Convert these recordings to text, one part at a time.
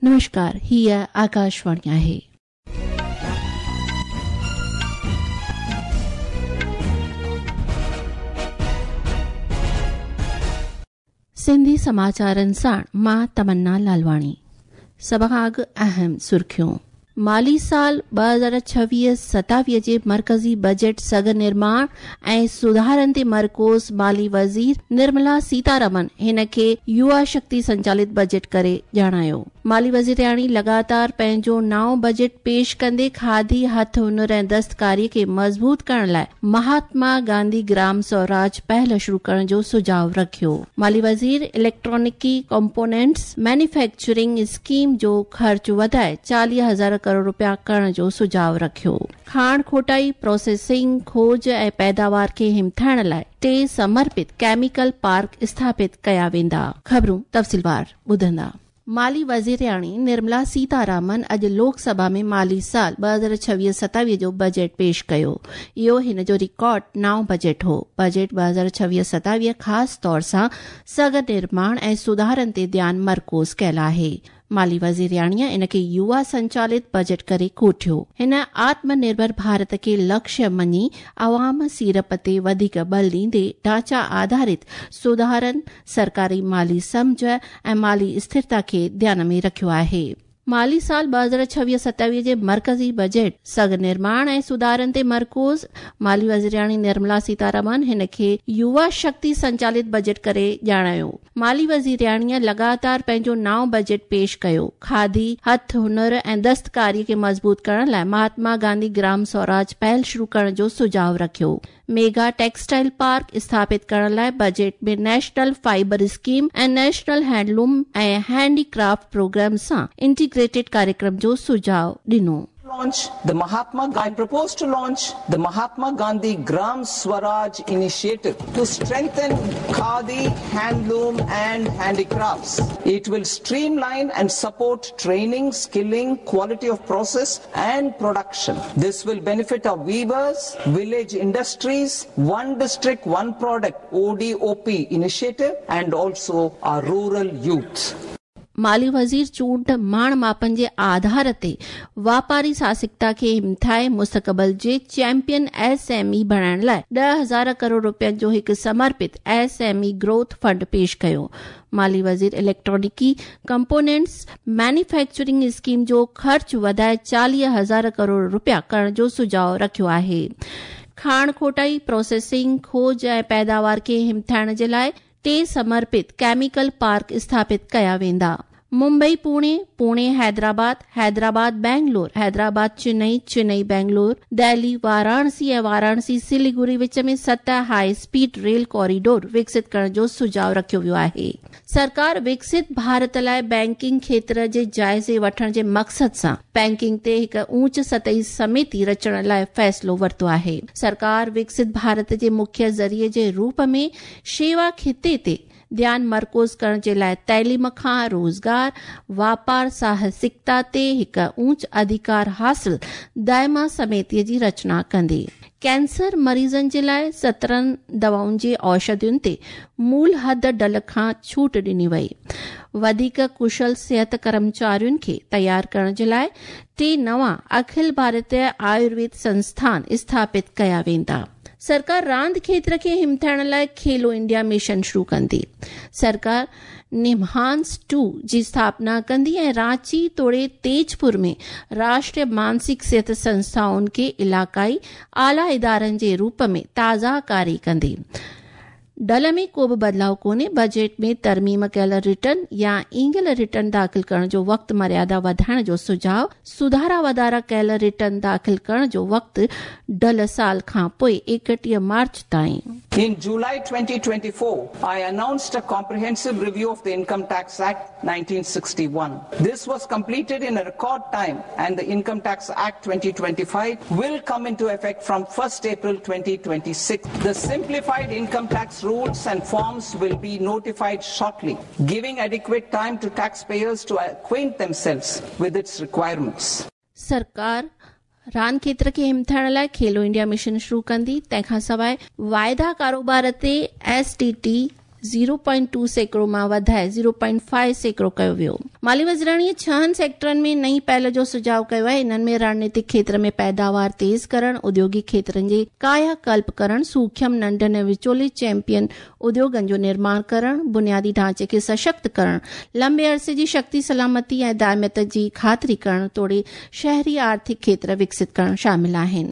نمشڪار، هيء آڪاشواڻي آهي. سنڌي سماچارن ساڻ مان تمنا لالواڻي. سڀ کان اڳ اهم سرخيون. مالي سال 2026 27 جي مرڪزي بجيٽ سگهه نرماڻ ۽ سڌارن تي مرڪوز مالي وزير نرملا سيتارمن هن کي يووا شڪتي سنچالت بجيٽ ڪري ڄاڻايو. مالي وزيرياڻي لڳاتار پنهنجو نائون بجيٽ پيش ڪندي کادي، هٿ هنر ۽ دستڪاري کي مضبوط ڪرڻ لاء مهاتما گانڌي گرام سوراج پهل شروع ڪرڻ جو سجهاء رکيو. مالي وزير اليڪٽرانڪي ڪمپونينٽس مينوفيڪچرنگ اسڪيم جو خرچ وڌائي 40,000 ڪروڙ رپيا ڪرڻ جو سجهاء رکيو. کاڻ کوٽائي، پروسيسنگ، کوج ۽ پيداوار کي همٿائڻ لاء ٽي سمرپت ڪيميڪل پارڪ اسٿاپت ڪيا ويندا. خبرون تفصيلوار ٻڌندا. مالي وزيرياڻي نرملا سيتارامن اڄ لوڪ سڀا ۾ مالي سال 2026 27 جو بجيٽ پيش ڪيو. اهو هن جو رڪارڊ نائون بجيٽ هو. بجيٽ 2026 27 خاص طور سان سگهه نرماڻ ۽ سڌارن تي ڌيان مرڪوز ڪيل آهي. مالي وزيرياڻيء ان کي يووا سنچالت بجيٽ ڪري ڪوٺيو. هن آتم نرڀر ڀارت کي لڪشيه مڃي عوام سيڙپ تي وڌيڪ ٻل ڏيندي ڍانچا آڌارت سڌارن، سرڪاري مالي سمجهه ۽ مالي اسٿرتا کي ڌيان ۾ رکيو آهي. مالي سال 2026 27 جي مرڪزي بجيٽ سگهه نرماڻ ۽ سڌارن تي مرڪوز مالي وزيرياڻي نرملا سيتارامن هن کي يووا شڪتي سنچالت بجيٽ ڪري ڄاڻايو. مالي وزيرياڻيء لڳاتار پنهنجو نائون بجيٽ پيش ڪيو. کادي، هٿ هنر ۽ دستڪاري کي مضبوط ڪرڻ لاء مهاتما گانڌي گرام سوراج پهل شروع ڪرڻ جو سجهاء رکيو. ميگا ٽيڪسٽائل پارڪ اسٿاپت ڪرڻ لاء budget ۾ national fibre scheme ۽ national handloom ۽ handicraft programme سان انٽيگريٽيڊ ڪاريڪرم جو سجهاء ڏنو. Launch the Mahatma I propose to launch the Mahatma Gandhi Gram Swaraj initiative to strengthen khadi, handloom and handicrafts. It will streamline and support training, skilling, quality of process and production. This will benefit our weavers, village industries, one district, one product, ODOP initiative and also our rural youth. مالي وزير چونڊ ماڻ ماپن جي آڌار تي واپاري ساهسڪتا کي همٿائي مستقبل جي چيمپيئن ايس ايم اي بڻائڻ لاء 10,000 ڪروڙ رپين جو هڪ سمرپت S M E growth fund پيش ڪيو. مالي وزير اليڪٽرانڪي ڪمپونينٽس مينوفيڪچرنگ اسڪيم جو خرچ وڌائي 40,000 ڪروڙ رپيا ڪرڻ جو سجهاء رکيو آهي. کاڻ کوٽائي، پروسيسنگ، کوج ۽ پيداوار کي همٿائڻ جي لاء ٽي سمرپت ڪيميڪل پارڪ اسٿاپت ڪيا ويندا. ممبئي پوڻي، پوڻي حيدرآباد، حيدرآباد بينگلور، حيدرآباد چنئي، چنئي بينگلور، دهلي واراڻسي ۽ واراڻسي سليگوري وچ ۾ ست هاء اسپيڊ ريل ڪوريڊور وڪست ڪرڻ جو سجهاء رکيو ويو آهي. سرڪار وڪست ڀارت لاء بئنڪنگ کيتر جي جائزي وٺڻ جي مقصد سان بئنڪنگ تي هڪ اونچ سطحي سميتي رچڻ لاء فيصلو ورتو آهي. سرڪار وڪست ڀارت جي مکيه ذريعي جي روپ ۾ شيوا خطي تي ڌيان مرڪوز ڪرڻ جي لاء تعليم کان روزگار، واپار ساهسڪتا تي هڪ اونچ اڌيڪار حاصل دائما سميتي جي رچنا ڪندي. ڪينسر مريضن جي لاء 17 دوائن جي اوشڌين تي مول حد ڍل کان ڇوٽ ڏني وئي. وڌيڪ ڪشل صحت ڪرمچارين کي تيار ڪرڻ جي لاء ٽي نوان اکل ڀارتيه آيورويد سنسٿان اسٿاپت ڪيا ويندا. سرڪار راند کيتر کي همٿائڻ لاء کيلو انڊيا مشن شروع ڪندي. سرڪار نمهانس ٽو جي اسٿاپنا ڪندي ۽ رانچي توڙي تيجپور ۾ راشٽريه مانسڪ صحت سنسٿائن کي علائقائي اعليٰ ادارن جي روپ ۾ تازه ڪاري ڪندي. ڍل ۾ ڪو به بدلاء ڪونهي، بجيٽ ۾ ترميم ڪيل رٽرن يا ايندڙ رٽرن داخل ڪرڻ جو وقت مريادا وڌائڻ جو سجهاء، سڌارا واڌارا ڪيل رٽرن داخل ڪرڻ جو وقت ڍل سال کان پوء 31 مارچ تائين. In July 2024, I announced a comprehensive review of the Income Tax Act 1961. This was completed in a record time and the Income Tax Act 2025 will come into effect from 1st April 2026. The simplified income tax rules and forms will be notified shortly, giving adequate time to taxpayers to acquaint themselves with its requirements. سرڪار راند کيتر کي همٿائڻ لاء کيلو India mission شروع ڪندي، تنهن کان سواء واعدا ڪاروبار تي ايس ٽي ٽي 0.2% مان وڌائي 0.5% ڪيو ويو. مالي وزيراڻيء ڇهن سيڪٽرن ۾ نئين پهل جو سجهاء ڪيو آهي، انهن ۾ رڻنيتڪ کيتر ۾ پيداوار تيز ڪرڻ، اديوگڪ کيترن جي ڪايا ڪلپ ڪرڻ، سوکيم، ننڍن ۽ وچولي چيمپيئن اديوگن جو نرماڻ ڪرڻ، بنيادي ڍانچي کي سشڪت ڪرڻ، لنبي عرصي جي شڪتي سلامتي ۽ دائميت جي خاطري ڪرڻ توڙي شهري آرٿڪ کيتر وڪست ڪرڻ شامل آهن.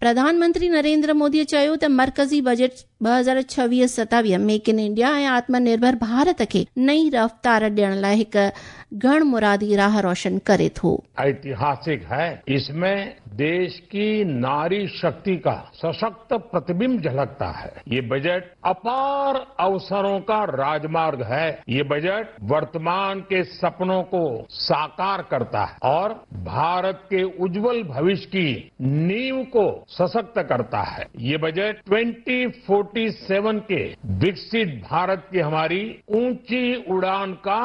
پرڌان منتري نريندر مودي چيو ته مرڪزي بجيٽ 2026-27 ميڪ ان انڊيا ۽ آتم نرڀر ڀارت کي نئين رفتار ڏيڻ لاء هڪ گهڻ مرادي راهه روشن ڪري ٿو. ऐतिहासिक है इसमें देश की नारी शक्ति का सशक्त प्रतिबिंब झलकता है ये बजट अपार अवसरों का राजमार्ग है ये बजट वर्तमान के सपनों को साकार करता है और भारत के उज्जवल भविष्य की नींव को सशक्त करता है ये बजट 2047 के विकसित भारत की हमारी ऊंची उड़ान का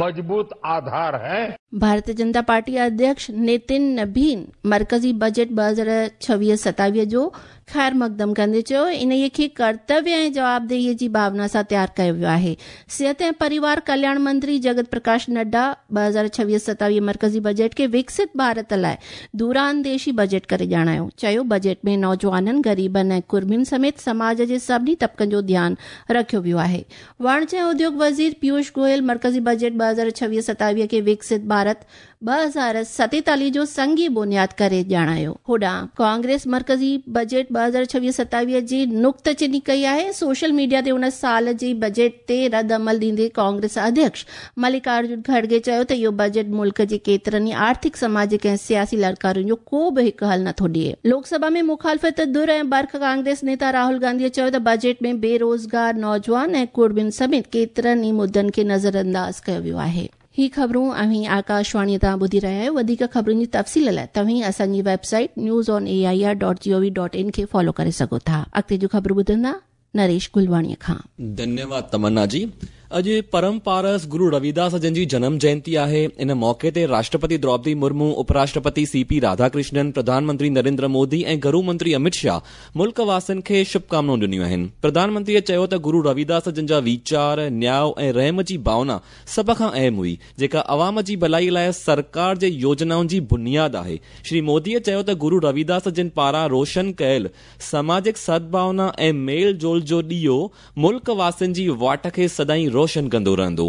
मजबूत आधार है। भारतीय जनता पार्टी अध्यक्ष नितिन नबीन मर्कज़ी बजट 2026-27 जो ख़ैर मक़दम कंदे चयो, इन्हीअ खे कर्तव्य ऐं जवाबदेहीअ जी भावना सां तयारु कयो वियो आहे। सिहत ऐं परिवार कल्याण मंत्री जगत प्रकाश नड्डा 2026-27 मर्कज़ी बजट खे विकसित भारत लाइ दूरांदेशी बजट करे ॼाणायो। चयो, बजट में नौजवाननि, ग़रीबनि ऐं कुर्मियुनि समेत समाज जे सभिनी तबक़नि जो ध्यानु रखियो वियो आहे। वाणिज्य ऐं उद्योग वज़ीर पीयूष गोयल मर्कज़ी बजट 2026-27 खे विकसित भारत 2047 जो संगी बुनियाद करे ॼाणायो। होॾां कांग्रेस मर्कज़ी बजट 2026-27 जी नुक्तचीनी कई आहे। सोशल मीडिया ते उन साल जी बजट ते रद्द अमल ॾींदे कांग्रेस अध्यक्ष मल्लिकार्जुन खड़गे चयो त इहो बजट मुल्क जे केतिरनि ई आर्थिक, समाजिक ऐं सियासी लड़कारुनि जो को बि हिकु हल नथो ॾिए। लोकसभा में मुखालफ़त धुर ऐं बर्ख कांग्रेस नेता राहुल गांधीअ चयो त बजट में बेरोज़गार नौजवान ऐं कुर्मियुनि समेत केतिरनि ई मुद्दनि खे नज़रअंदाज़ कयो वियो आहे। ही ख़बरूं अव्हीं आकाशवाणीअ तां ॿुधी रहिया आहियो। वधीक ख़बरुनि जी तफ़सील लाइ तव्हीं असांजी website newsonAIR.gov.in खे फॉलो करे सघो था। अॻिते जूं ख़बरूं ॿुधंदा नरेश गुलवाणीअ खां। धन्यवाद तमन्ना जी। अॼु परम पारस गुरु रविदास जन जी जनम जयंती आहे। इन मौक़े ते राष्ट्रपति द्रौपदी मुर्मू, उपराष्ट्रपति सीपी राधाकृष्णन, प्रधानमंत्री नरेंद्र मोदी ऐं गृह मंत्री अमित शाह मुल्क वासियुनि खे शुभकामनाऊं ॾिनियूं आहिनि। प्रधानमंत्रीअ चयो त गुरु रविदास जन जा वीचार, न्याय ऐं रहम जी भावना सभ खां अहम हुई, जेका अवाम जी भलाई लाइ सरकार जे योजनाउनि जी बुनियाद आहे। श्री मोदीअ चयो त गुरु रविदास जन पारां रोशन कयल समाजिक सद्भावना ऐं मेल जोल जो ॾीओ मुल्क वासियुनि जी वाट खे सदाईं रोशन कंदो रहंदो।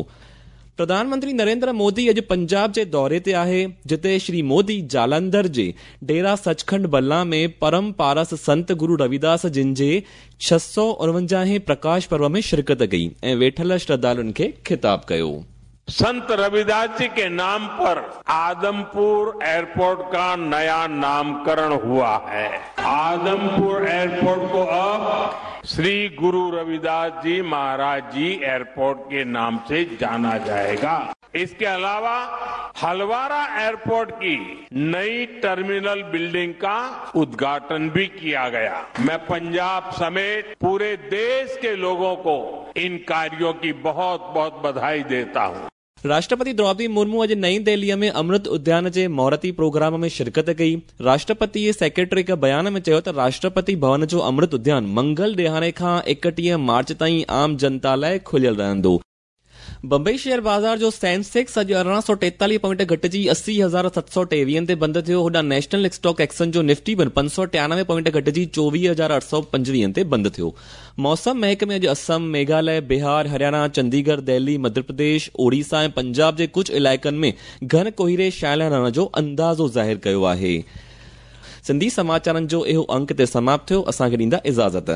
प्रधानमंत्री नरेंद्र मोदी अॼु पंजाब जे दौरे ते आहे, जिते श्री मोदी जालंधर जे डेरा सचखंड बल्ला में परम पारस संत गुरु रविदास जिन जे 649हें प्रकाश पर्व में शिरकत कई ऐं वेठल श्रद्धालुनि खे ख़िताब कयो। संत रविदास जी के नाम पर आदमपुर एयरपोर्ट का नया नामकरण हुआ है। आदमपुर एयरपोर्ट को अब श्री गुरु रविदास जी महाराज जी एयरपोर्ट के नाम से जाना जाएगा। इसके अलावा हलवारा एयरपोर्ट की नई टर्मिनल बिल्डिंग का उद्घाटन भी किया गया। मैं पंजाब समेत पूरे देश के लोगों को इन कार्यों की बहुत बहुत बधाई देता हूं। राष्ट्रपति द्रौपदी मुर्मू अॼु नई दिल्लीअ में अमृत उद्यान जे मुहूर्ती प्रोग्राम में शिरकत कई। राष्ट्रपति सेक्रेटरी हिकु बयान में चयो त राष्ट्रपति भवन जो अमृत उद्यान मंगल ॾिहाड़े खां 31 मार्च ताईं आम जनता लाइ खुलियल रहंदो। बंबई शेयर बाज़ार जो सेंसेक्स अॼु 1843 पॉइंट घटिजी 80,723 ते बंदि थियो। होॾां नेशनल स्टॉक एक्सचेंज जो निफ्टी पिणु 593 पॉइंट घटिजी 24,825 ते बंदि थियो। मौसम महकमे अॼु असम, मेघालय, बिहार, हरियाणा, चंडीगढ़, दिल्ली, मध्य प्रदेश, ओडिशा ऐं पंजाब जे कुझु इलाइक़नि में घन कोहिरे छायल रहण जो अंदाज़ो ज़ाहिर कयो आहे। सिंधी समाचारनि जो इहो अंक ते समाप्त थियो। असांखे ॾींदा इजाज़त।